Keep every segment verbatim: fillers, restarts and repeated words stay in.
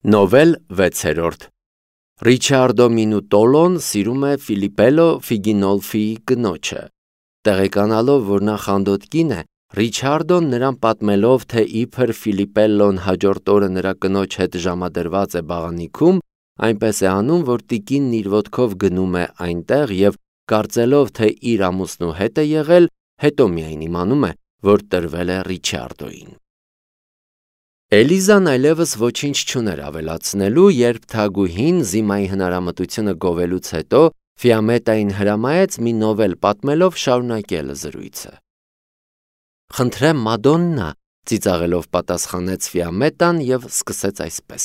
Նովել վեցերորդ Ռիչարդո Մինուտոլոն սիրում է Ֆիլիպպելո Ֆիգինոլֆիի կնոջը։ Տեղեկանալով, որ նա խանդոտ կին է, Ռիչարդոն նրան պատմելով, թե իբր Ֆիլիպպելոն հաջորդ օրը նրա կնոջ հետ ժամադրված է բաղանիքում, այնպես է անում, որ տիկինն իր ոտքով գնում է այնտեղ և կարծելով, թե իր ամուսնու հետ է եղել, հետո միայն իմանում է, որ տրվել է Ռիչարդոյին։ Էլիզան այլևս ոչինչ չուներ ավելացնելու, երբ թագուհին զիմայի հնարամտությունը գովելուց հետո Ֆիամետային հրամայեց մի նովել պատմելով շարունակել զրույցը։ «Խնդրեմ, Մադոննա», ծիծաղելով պատասխանեց Ֆիամետան և սկսեց այսպես.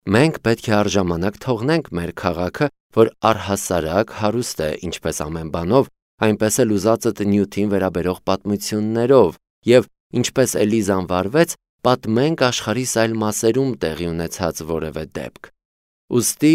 «Մենք պետք է առժամանակ թողնենք մեր քաղաքը, որ առհասարակ հարուստ է ինչպես ամեն բանով, այնպես էլ ուզածդ նյութին վերաբերող պատմություններով, և ինչպես Էլիզան վարվեց, պատմենք աշխարհիս այլ մասերում տեղի ունեցած որևէ դեպք։ Ուստի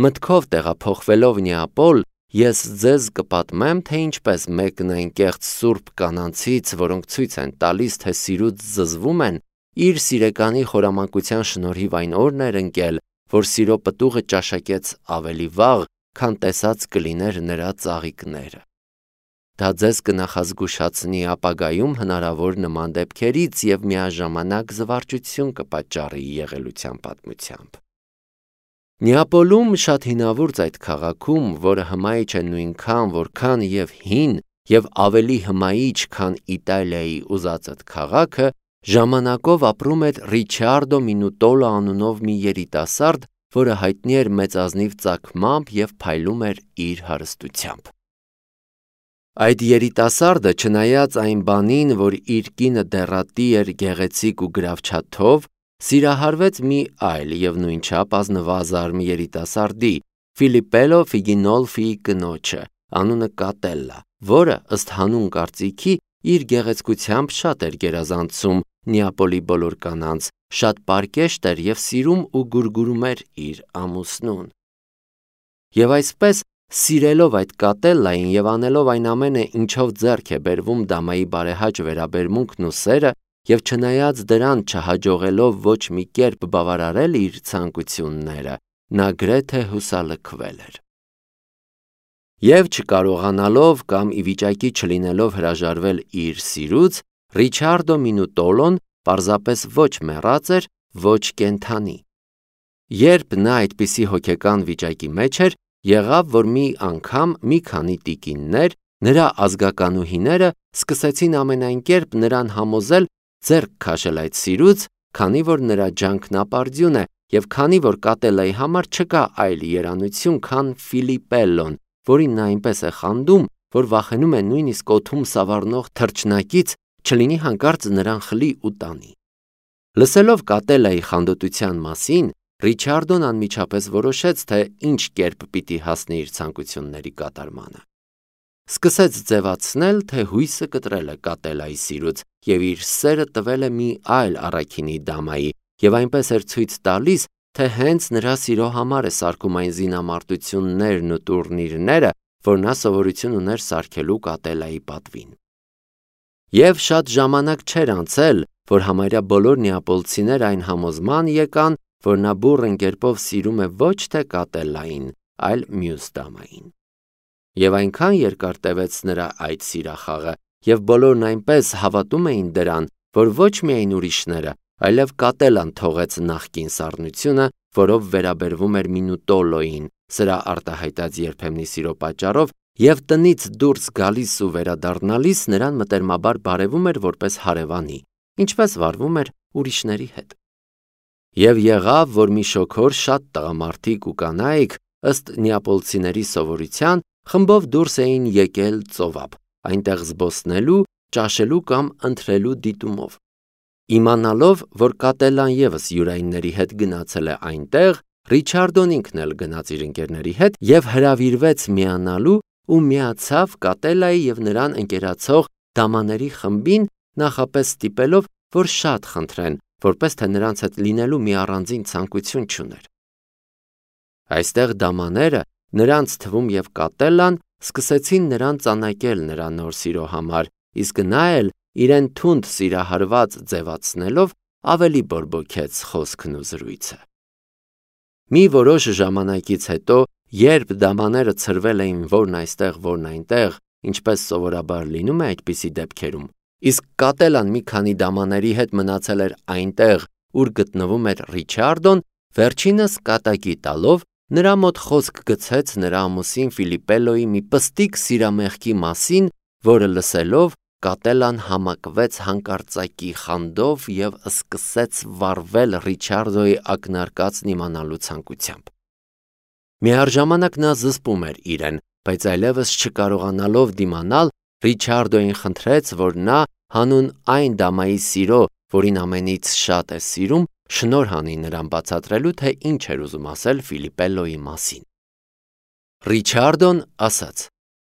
մտքով տեղափոխվելով Նեապոլ, ես ձեզ կպատմեմ, թե ինչպես մեկն այն կեղծ սուրբ կանանցից, որոնք ցույց են տալիս, թե սիրուց զզվում են, իր սիրեկանի խորամանկության շնորհիվ այն օրն էր ընկել, որ սիրո պտուղը ճաշակեց ավելի վաղ, քան տեսած կլիներ նրա ծաղիկները։ Դա ձեզ կնախազգուշացնի ապագայում հնարավոր նման դեպքերից և միաժամանակ զվարճություն կպատճառի եղելության պատմությամբ։ Նեապոլում շատ հինավուրց այդ քաղաքում, որը հմայիչ է նույնքան, որքան և հին և ավելի հմայիչ, քան Իտալիայի ուզածդ քաղաքը, ժամանակով ապրում էր Ռիչարդո Մինուտոլո անունով մի երիտասարդ, որը հայտնի էր մեծազնիվ ծագմամբ և փայլում էր իր հարստությամբ։ Այդ երիտասարդը, չնայած այն բանին, որ իր կինը դեռատի էր գեղեցիկ ու գրավչաթով, սիրահարվեց մի այլ և նույնչափ ազնվազարմ երիտասարդի՝ Ֆիլիպպելո Ֆիգինոլֆիի կնոջը, անունը Կատելլա, որը, ըստ հանուն կարծիքի, իր գեղեցկությամբ շատ էր գերազանցում Նեապոլի բոլոր կանանց, շատ պարկեշտ էր և սիրում ու գուրգուրում էր իր ամուսնուն։ Եվ այսպես, սիրելով այդ Կատելլային և անելով այն ամենը, ինչով ձեռք է բերվում դամայի բարեհաճ վերաբերմունքն ու սերը, և չնայած դրան չհաջողելով ոչ մի կերպ բավարարել իր ցանկությունները, նա գրեթե հուսալքվել էր։ Եվ չկարողանալով կամ ի վիճակի չլինելով հրաժարվել իր սիրուց, Ռիչարդո Մինուտոլոն պարզապես ոչ մեռած էր, ոչ կենդանի։ Երբ նա այդպիսի հոգեկան վիճակի մեջ էր, եղավ, որ մի անգամ մի քանի տիկիններ, նրա ազգականուհիները, սկսեցին ամենայն կերպ նրան համոզել ձեռք քաշել այդ սիրուց, քանի որ նրա ջանքն ապարդյուն է, և քանի որ Կատելլայի համար չկա այլ երանություն, քան Ֆիլիպպելոն, որին նա այնպես է խանդում, որ վախենում է նույնիսկ օդում սավառնող թռչնակից, չլինի հանկարծ նրան խլի ու տանի։ Լսելով Կատելլայի խանդոտության մասին, Ռիչարդոն անմիջապես որոշեց, թե ինչ կերպ պիտի հասնի իր ցանկությունների կատարմանը։ Սկսեց ձևացնել, թե հույսը կտրել է Կատելլայի սիրուց և իր սերը տվել է մի այլ առաքինի դամայի, և այնպես էր ցույց տալիս, թե հենց նրա սիրո համար է սարքում այն զինամարտություններն ու տուրնիրները, որ նա սովորություն ուներ սարքելու Կատելլայի պատվին։ Եվ շատ ժամանակ չէր անցել, որ համարյա բոլոր նեապոլցիները այն համոզման եկան, որ նա բուռն կերպով սիրում է ոչ թե Կատելլային, այլ մյուս դամային։ Եվ այնքան երկար տևեց նրա այդ սիրախաղը, և բոլորն այնպես հավատում էին դրան, որ ոչ միայն ուրիշները, այլև Կատելլան թողեց նախկին սառնությունը, որով վերաբերվում էր Մինուտոլոյին, սրա արտահայտած երբեմնի սիրո պատճառով, և տնից դուրս գալիս ու վերադառնալիս նրան մտերմաբար բարևում էր որպես հարևանի, ինչպես վարվում էր ուրիշների հետ։ Եվ եղավ, որ մի շոգոր շատ տղամարդիկ ու կանայք, ըստ նեապոլցիների սովորության, խմբով դուրս էին եկել ծովափ, այնտեղ զբոսնելու, ճաշելու կամ ընթրելու դիտումով։ Իմանալով, որ Կատելլան ևս յուրայինների հետ գնացել է այնտեղ, Ռիչարդոն ինքն էլ գնաց իր ընկերների հետ և հրավիրվեց միանալու ու միացավ Կատելլայի և նրան ընկերացող դամաների խմբին, նախապես ստիպելով, որ շատ խնդրեն, որպես թե նրանց հետ լինելու մի առանձին ցանկություն չուներ։ Այստեղ դամաները, նրանց թվում և Կատելլան, սկսեցին նրան ծանակել նրա նոր սիրո համար, իսկ նա էլ իրեն թունդ սիրահարված ձևացնելով ավելի բորբոքեց խոսքն ու զրույցը։ Մի որոշ ժամանակից հետո, երբ դամաները ցրվել էին որն այստեղ, որն այնտեղ, ինչպես սովորաբար լինում է այդպիսի դեպքերում, իսկ կատելան մի քանի դամաների հետ մնացել էր այնտեղ, ուր գտնվում էր Ռիչարդոն, վերջինս կատակի տալով նրա մոտ խոսք գցեց նրա ամուսին Ֆիլիպպելոյի մի պստիկ սիրամեղքի մասին, որը լսելով կատելան համակվեց հանկարծակի խանդով և սկսեց վառվել Ռիչարդոյի ակնարկածն իմանալու ցանկությամբ։ Միառժամանակ նա զսպում էր իրեն, բայց այլևս չկարողանալով դիմանալ, Ռիչարդոյին խնդրեց, որ նա հանուն այն դամայի սիրո, որին ամենից շատ է սիրում, շնորհ անի նրան բացատրելու, թե ինչ էր ուզում ասել Ֆիլիպպելոյի մասին։ Ռիչարդոն ասաց.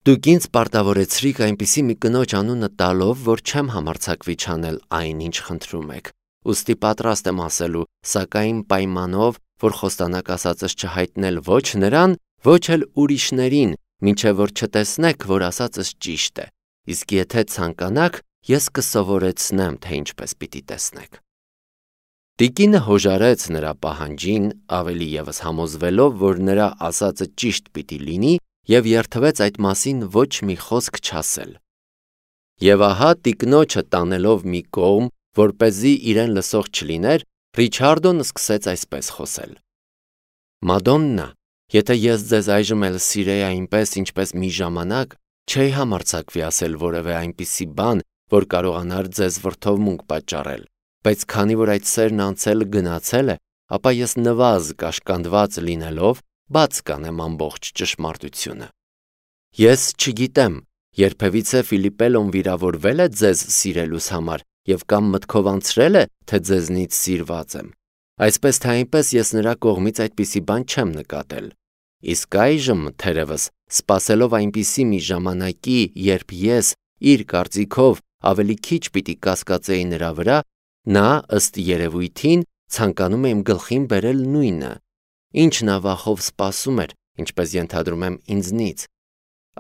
«Դուք ինձ պարտավորեցրիք այնպիսի մի կնոջ անունը տալով, որ չեմ համարձակվի չանել այն, ինչ խնդրում եք, ուստի պատրաստ եմ ասելու, սակայն պայմանով, որ խոստանակ ասածս չհայտնել ոչ նրան, ոչ էլ ուրիշներին, մինչև որ չտեսնեք, որ ասածս ճիշտ է, իսկ եթե ցանկանաք, ես կսովորեցնեմ, թե ինչպես պիտի տեսնեք»։ Տիկինը հոժարեց նրա պահանջին, ավելի ևս համոզվելով, որ նրա ասածը ճիշտ պիտի լինի, և երդվեց այդ մասին ոչ մի խոսք չասել։ Եվ ահա տիկնոջը տանելով մի կողմ, որպեսզի իրեն լսող չլիներ, Ռիչարդոն սկսեց այսպես խոսել. «Մադոննա, եթե ես ձեզ այժմ էլ սիրեի այնպես, ինչպես մի ժամանակ, չէի համարձակվի ասել որևէ այնպիսի բան, որ կարողանար ձեզ վրդովմունք պատճառել, բայց քանի որ այդ սերն անցել գնացել է, ապա ես նվազ կաշկանդված լինելով, բաց կանեմ ամբողջ ճշմարտությունը։ Ես չգիտեմ, երբևիցե Ֆիլիպպելոն վիրավորվել է ձեզ սիրելուս համար և կամ մտքով անցրել է, թե ձեզնից սիրված եմ։ Այսպես թե այնպես ես նրա կողմից այդպիսի բան չեմ նկատել։ Իսկ այժմ, թերևս, սպասելով այնպիսի մի ժամանակի, երբ ես, իր կարծիքով, ավելի քիչ պիտի կասկածեի նրա վրա, նա, ըստ երևույթին, ցանկանում է իմ գլխին բերել նույնը, ինչ նա վախով սպասում էր, ինչպես ենթադրում եմ ինձնից։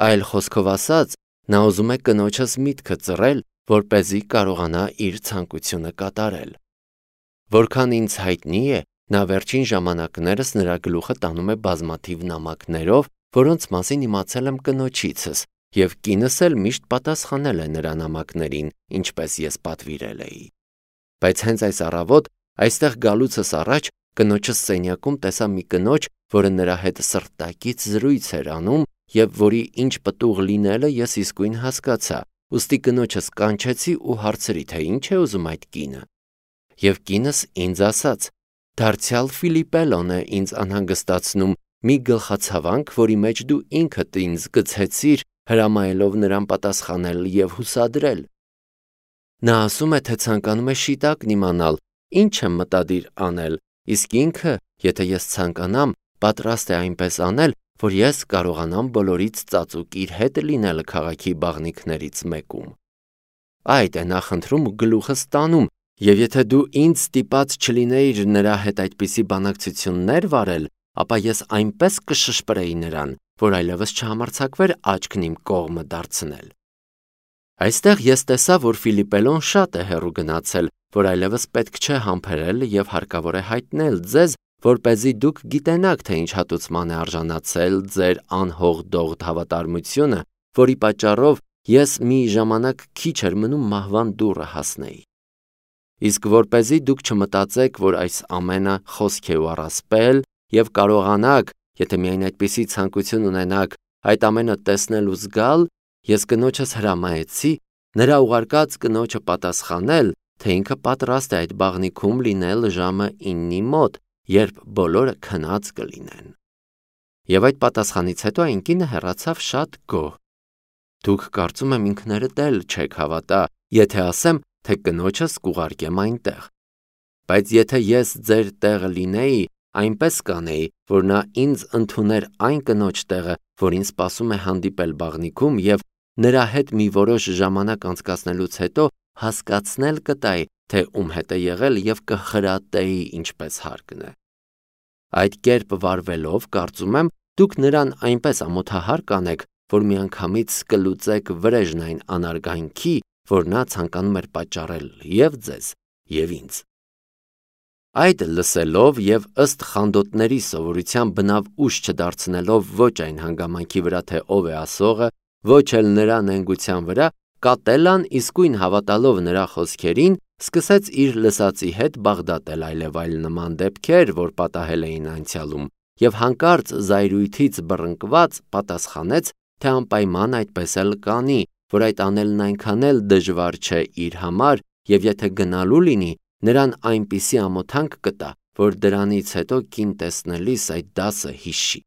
Այլ խոսքով ասած, նա ուզում է կնոջս միտքը ծռել, որպեսզի կարողանա իր ցանկությունը կատարել։ Որքան ինձ հայտնի է, նա վերջին ժամանակներս նրա գլուխը տանում է բազմաթիվ նամակներով, որոնց մասին իմացել եմ կնոջիցս, և կինս էլ միշտ պատասխանել է նրա նամակներին, ինչպես ես պատվիրել էի։ Բայց հենց այս առավոտ, այստեղ գալուցս առաջ, կնոջս սենյակում տեսա մի կնոջ, որը նրա հետ սրտակից զրույց էր անում, և որի ինչ պտուղ լինելը ես իսկույն հասկացա, ուստի կնոջս կանչեցի ու հարցրի, թե ինչ է ուզում այդ կինը։ Եվ կինս ինձ ասաց. «Դարձյալ Ֆիլիպպելոն է ինձ անհանգստացնում մի գլխացավանք, որի մեջ դու ինքդ ինձ գցեցիր, հրամայելով նրան պատասխանել և հուսադրել։ Նա ասում է, թե ցանկանում է շիտակն իմանալ, ինչ եմ մտադիր անել, իսկ ինքը, եթե ես ցանկանամ, պատրաստ է այնպես անել, որ ես կարողանամ բոլորից ծածուկ իր հետ լինել քաղաքի բաղնիքներից մեկում։ Այդ է նա խնդրում ու գլուխս տանում, և եթե դու ինձ ստիպած չլինեիր նրա հետ այդպիսի բանակցություններ վարել, ապա ես այնպես կշշպրեի նրան, որ այլևս չհամարձակվեր աչքն իմ կողմը դարձնել»։ Այստեղ ես տեսա, որ Ֆիլիպպելոն շատ է հեռու գնացել, որ այլևս պետք չէ համբերել և հարկավոր է հայտնել ձեզ, որպեսզի դուք գիտենաք, թե ինչ հատուցման է արժանացել ձեր անհողդողդ հավատարմությունը, որի պատճառով ես մի ժամանակ քիչ էր մնում մահվան դուռը հասնեի։ Իսկ որպեսզի դուք չմտածեք, որ այս ամենը խոսք է ու առասպել, և կարողանաք, եթե միայն այդպիսի ցանկություն ունենաք, այդ ամենը տեսնել ու զգալ, ես կնոջս հրամայեցի նրա ուղարկած կնոջը պատասխանել, թե ինքը պատրաստ է այդ բաղնիքում լինել ժամը իննի մոտ, երբ բոլորը քնած կլինեն։ Եվ այդ պատասխանից հետո այն կինը հեռացավ շատ գոհ։ Դուք կարծում եմ ինքներդ էլ չեք հավատա, եթե ասեմ, թե կնոջս կուղարկեմ այնտեղ։ Բայց եթե ես ձեր տեղը լինեի, այնպես կանեի, որ նա ինձ ընդուներ այն կնոջ տեղը, որին սպասում է հանդիպել բաղնիքում, և նրա հետ մի որոշ ժամանակ անցկացնելուց հետո հասկացնել կտայի, թե ում հետ է եղել և կխրատեի ինչպես հարկն է։ Այդ կերպ վարվելով, կարծում եմ, դուք նրան այնպես ամոթահար կանեք, որ միանգամից կլուծեք վրեժն այն անարգանքի, որ նա ցանկանում էր պատճառել և ձեզ, և ինձ։ Այդ լսելով եւ ըստ խանդոտների սովորության բնավ ուշ չդարձնելով ոչ այն հանգամանքի վրա, թե ով է ասողը, ոչ էլ նրա նենգության վրա, Կատելան իսկույն հավատալով նրա խոսքերին, սկսեց իր լսածի հետ բաղդատել այլև այլ նման դեպքեր, որ պատահել էին անցյալում, եւ հանկարծ զայրույթից բռնկված պատասխանեց, թե անպայման այդպես էլ կանի, որ այդ անելն այնքան էլ դժվար չէ իր համար, եւ եթե գնալու լինի, նրան այնպիսի ամոթանք կտա, որ դրանից հետո կին տեսնելիս այդ դասը հիշի։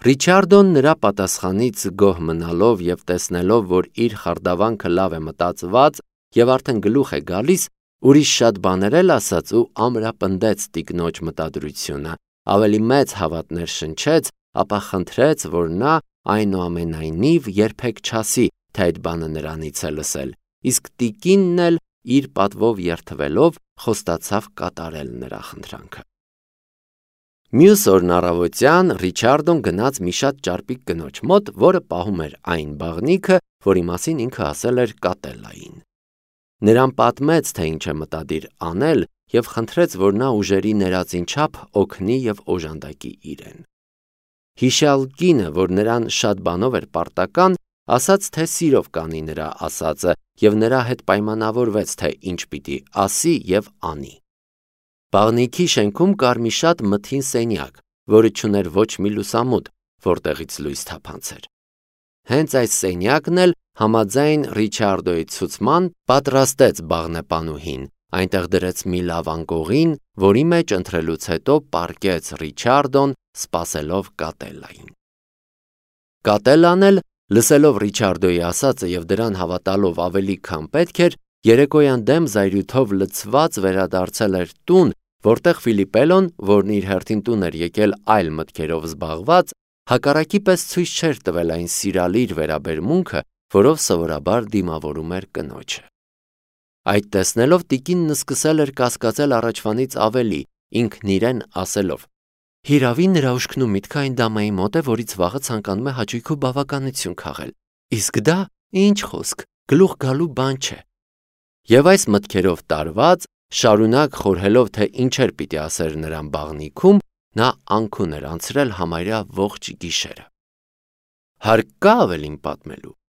Ռիչարդոն նրա պատասխանից գոհ մնալով եւ տեսնելով, որ իր խարդավանքը լավ է մտածված եւ արդեն գլուխ է գալիս, ուրիշ շատ բաներ էլ ասաց ու ամրապնդեց տիկնոջ մտադրությունը, ավելի մեծ հավատներ շնչեց, ապա խնդրեց, որ նա այնուամենայնիվ երբեք չասի, թե այդ բանը նրանից է լսել, իսկ տիկինն էլ իր պատվով երթվելով խոստացավ կատարել նրա խնդրանքը։ Մյուս օրն առավոտյան Ռիչարդոն գնաց մի շատ ճարպիկ կնոջ մոտ, որը պահում էր այն բաղնիքը, որի մասին ինքը ասել էր Կատելային։ Նրան պատմեց, թե ինչ է մտադիր անել եւ խնդրեց, որ նա ուժերի ներածին չափ օգնի եւ օժանդակի իրեն։ Հիշյալ կինը, որ նրան շատ բանով էր պարտական, ասաց, թե սիրով կանի նրա ասածը եւ նրա հետ պայմանավորվեց, թե ինչ պիտի ասի եւ անի։ Բաղնիքի շենքում կար մի շատ մթին սենյակ, որը չուներ ոչ մի լուսամուտ, որտեղից լույս թափանցեր։ Հենց այս սենյակն էլ համաձայն Ռիչարդոյի ցուցման պատրաստեց բաղնեպանուհին, այնտեղ դրեց մի լավ անկողին, որի մեջ ընթրելուց հետո պառկեց Ռիչարդոն, սպասելով Կատելային։ Կատելան էլ, լսելով Ռիչարդոյի ասածը եւ դրան հավատալով ավելի քան պետք էր, երեկոյան դեմ զայրույթով լցված վերադարձել էր տուն, որտեղ Ֆիլիպելոն, որն իր հերթին տուն էր եկել այլ մտքերով զբաղված, հակառակի պես ցույց չէր տվել այն սիրալիր վերաբերմունքը, որով սովորաբար դիմավորում էր կնոջը։ Այդ տեսնելով տիկինն սկսել էր կասկածել առաջվանից ավելի, ինքն իրեն ասելով. Հիրավի նրա ուշքն ու միտքը այն դամայի մոտ է, որից վաղը ցանկանում է հաճույք ու բավականություն քաղել։ Իսկ դա ինչ խոսք, գլուխ գալու բան չէ։ Եվ այս մտքերով տարված, շարունակ խորհելով, թե ինչեր պիտի ասեր նրան բաղնիքում, նա անքուն էր անցրել համարյա ողջ գիշերը։ Հարկ կա ավելին պատմելու։